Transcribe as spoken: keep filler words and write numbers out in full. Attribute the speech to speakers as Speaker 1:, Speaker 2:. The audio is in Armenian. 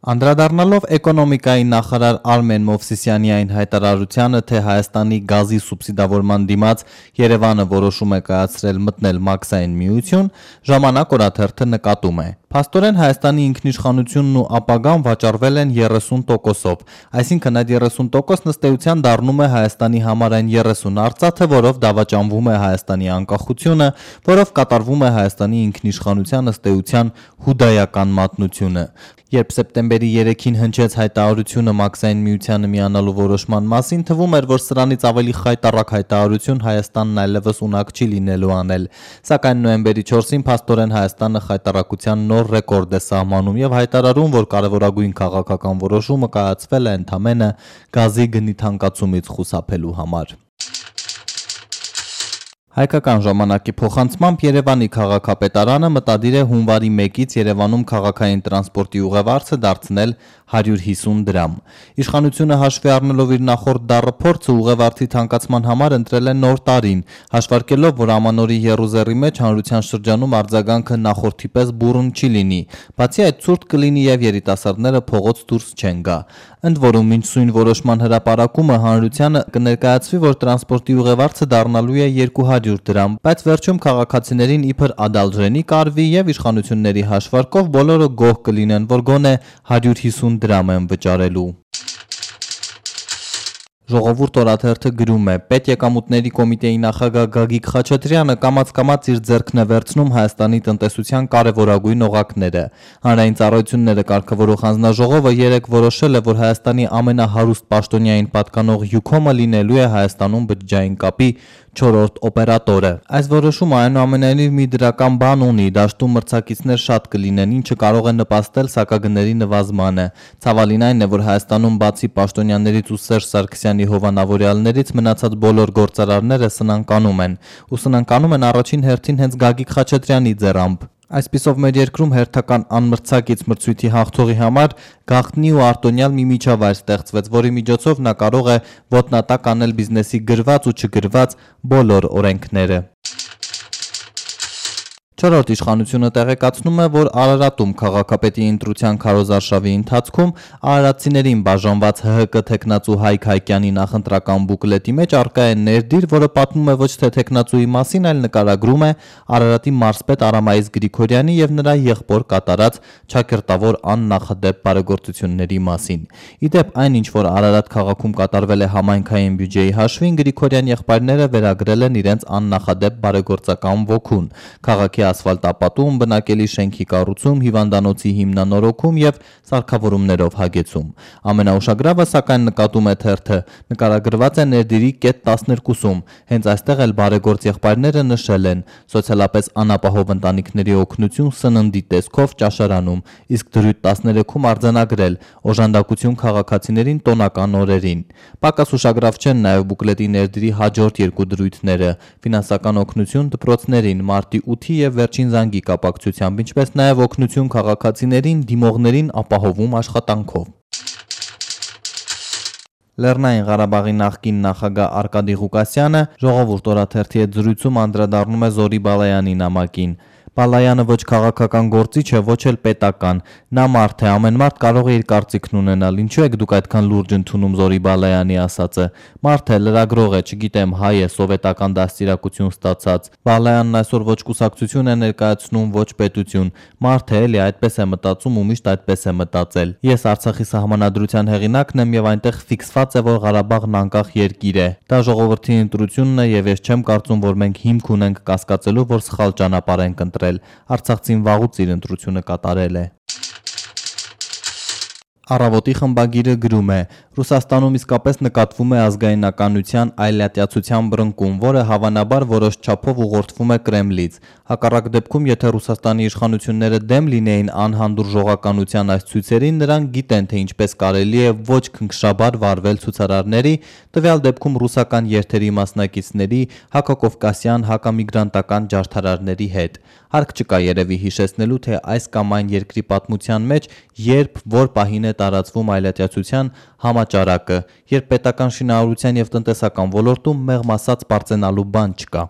Speaker 1: Անդրադառնալով էկոնոմիկայի նախարար Արմեն Մովսիսյանի այն հայտարարությանը, թե Հայաստանի գազի սուբսիդավորման դիմաց Երևանը որոշում է կայացրել մտնել մաքսային միություն, Ժամանակ օրաթերթը նկատում է. Փաստորեն Հայաստանի ինքնիշխանությունն ու ապագան վաճառվել են երեսուն տոկոսով, այսինքն այդ երեսուն տոկոսն ըստ էության դառնում է Հայաստանի համար այն երեսուն արծաթը, որով դավաճանվում է Հայաստանի անկախությունը, որով կատարվում է Հայաստանի ինքնիշխանության ըստ էության հուդայական մատնությունը։ Երբ սեպտեմբերի երեքին հնչեց հայտարարությունը մաքսային միությանը միանալու որոշման մասին, թվում էր, որ սրանից ավելի խայտառակ հայտարարություն Հայաստանն այլևս ունակ չի լինելու անել, սակայն նոյեմբերի չորսին փաստորեն Հայաստանը խայտառակության նոր ռեկորդ է սահմանում եւ հայտարարում, որ կարևորագույն քաղաքական որոշումը կայացվել է ընդամենը գազի գնի թանկացումից խուսափելու համար։ Հայկական ժամանակի փոխանցմամբ Երևանի քաղաքապետարանը մտադիր է հունվարի մեկից Երևանում քաղաքային տրանսպորտի ուղևորը դարձնել հարյուր հիսուն դրամ։ Իշխանությունը հաշվի առնելով իր նախորդ դառը փորձը ուղևորի թանկացման համար ընտրել է նոր տարին, հաշվարկելով, որ ամանորի եռուզեռի մեջ հանրության շրջանում արձագանքը նախորդի պես բուռն չի լինի, բացի այդ ցուրտ կլինի եւ երիտասարդները փողոց դուրս չեն գա։ Ընդ որում մինչ սույն որոշման հրապարակումը հանրությանը կներկայացվի, որ տրանսպորտի ուղևորը դառնալու է երկու հարյուր դրամ, բայց վերջում քաղաքացիներին իբր ադալժենի կարվի եւ իշխանությունների հաշվարկով բոլորը գոհ կլինեն, որ գոնե հարյուր հիսուն դրամ են վճարելու։ Ժողովուրդ օրաթերթը գրում է. Պետեկամուտների կոմիտեի նախագահ Գագիկ Խաչատրյանը կամաց-կամաց իր ձեռքն է վերցնում Հայաստանի տնտեսության կարևորագույն օղակները։ Հանրային ծառայությունները կարգավորող հանձնաժողովը երեկ որոշել է, որ Հայաստանի ամենահարուստ պաշտոնյային պատկանող Յուքոմը լինելու է Հայաստանում բջջային կապի չորրորդ օպերատորը։ Այս որոշումը այնուամենայնիվ մի դրական բան ունի, դաշտում մրցակիցներ շատ կլինեն, ինչը կարող է նպաստել սակագների նվազմանը։ Ցավալին այն է, որ Հայաստանում բացի պաշտոնյաներից ու Սերժ Սարգսյանի հովանավորյալներից մնացած բոլոր գործարարները սնանկանում են, ու սնանկանում են առաջին հերթին հենց Գագիկ Խաչատրյանի ձեռամբ։ Այսպիսով մեր երկրում հերթական անմրցակից մրցույթի հաղթողի համար գաղտնի ու արտոնյալ մի միջավայր ստեղծվեց, որի միջոցով նա կարող է ոտնատակ անել բիզնեսի գրված ու չգրված բոլոր օրենքները։ Չորրորդ իշխանությունը տեղեկացնում է, որ Արարատում քաղաքապետի ընտրության քարոզարշավի ընթացքում արարատցիներին բաժանված ՀՀԿ թեկնածու Հայկ Հայկյանի նախընտրական բուկլետի մեջ առկա է ներդիր, որը պատմում է ոչ թե թեկնածուի մասին, այլ նկարագրում է Արարատի մարզպետ Արամայիս Գրիգորյանի եւ նրա եղբոր կատարած ճակերտավոր աննախադեպ բարեգործությունների մասին։ Իդեպ այն, ինչ որ Արարատ քաղաքում կատարվել է համայնքային բյուջեի հաշվին, Գրիգորյան եղբայրները վերագրել են իրենց աննախադեպ բարեգործական ոգուն։ Քաղաքի ասֆալտապատում, բնակելի շենքի կառուցում, հիվանդանոցի հիմնանորոգում եւ սարքավորումներով հագեցում։ Ամենաուշագրավը, սակայն, նկատում է թերթը, նկարագրված է ներդիրի կետ տասներկուսում։ Հենց այստեղ էլ բարեգործ եղբայրները նշել են. սոցիալապես անապահով ընտանիքների օգնություն սննդի տեսքով ճաշարանում, իսկ դրույթ տասներեքում արձանագրել օժանդակություն քաղաքացիներին տոնական օրերին։ Պակաս ուշագրավ չեն նաեւ բուկլետի ներդիրի հաջորդ երկու դրույթները՝ ֆինանսական օգնություն դպրոցներին մարտի ութի եւ վերջին զանգի կապակցությամբ, ինչպես նաև օգնություն քաղաքացիներին դիմողներին ապահովում աշխատանքով։ Լեռնային Ղարաբաղի նախկին նախագահ Արկադի Ղուկասյանը Ժողովուրդ օրաթերթի հետ զրույցում անդրադառնում է Զորի Բալայանի նամակին։ Բալայանը ոչ քաղաքական գործիչ է, ոչ էլ պետական։ Նա մարդ է, ամեն մարդ կարող է իր կարծիքն ունենալ։ Ինչու եք դուք այդքան լուրջ ընդունում Զորի Բալայանի ասածը։ Մարդ է, լրագրող է, չգիտեմ, հայ է, սովետական դաստիարակություն ստացած։ Բալայանն այսօր ոչ կուսակցություն է ներկայացնում, ոչ պետություն։ Մարդ է, էլի, այդպես է մտածում ու միշտ այդպես է մտածել։ Ես Արցախի սահմանադրության հեղինակն եմ եւ այնտեղ ֆիքսված է, որ Ղարաբաղն անկախ երկիր է։ Դա ժողովրդի ընտրությունն է եւ ես չեմ կարծում, որ մենք հիմք ունենք կասկածելու, որ սխալ ճանապարհ ենք ընտրել։ Արցախցին վաղուց իր ընտրությունը կատարել է։ Առավոտի խմբագիրը գրում է. Ռուսաստանում իսկապես նկատվում է ազգայնականության այլատյացության բռնկում, որը հավանաբար որոշ չափով ուղղորդվում է Կրեմլից։ Հակառակ դեպքում, եթե Ռուսաստանի իշխանությունները դեմ լինեին անհանդուրժողականության այս ցույցերին, նրանք գիտեն, թե ինչպես կարելի է ոչ քնքշաբար վարվել ցուցարարների, տվյալ դեպքում ռուսական երթերի մասնակիցների, հակակովկասյան, հակամիգրանտական ջարդարարների հետ։ Հարկ չկա երևի հիշեցնելու, թե այս կամ այն երկրի պատմության մեջ երբ որ պահին է տարածվում այլատյացության համաճարակը, երբ պետական շինարարության եւ տնտեսական ոլորտում մեղմ ասած բարձենալու բան չկա։